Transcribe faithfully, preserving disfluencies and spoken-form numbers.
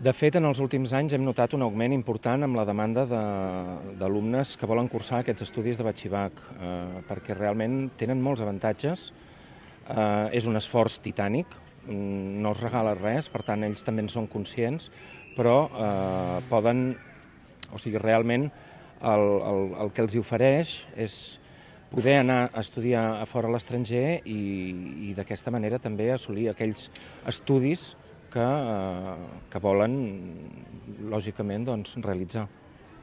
De fet, en els últims anys hem notat un augment important amb la demanda d'alumnes que volen cursar aquests estudis de batxibac, eh, perquè realment tenen molts avantatges. Eh, és un esforç titànic, no es regala res, per tant, ells també en són conscients, però eh, poden, o sigui, realment el, el, el que els ofereix és poder anar a estudiar a fora a l'estranger i, i d'aquesta manera també assolir aquells estudis que, eh, que volen, lògicament, doncs, realitzar.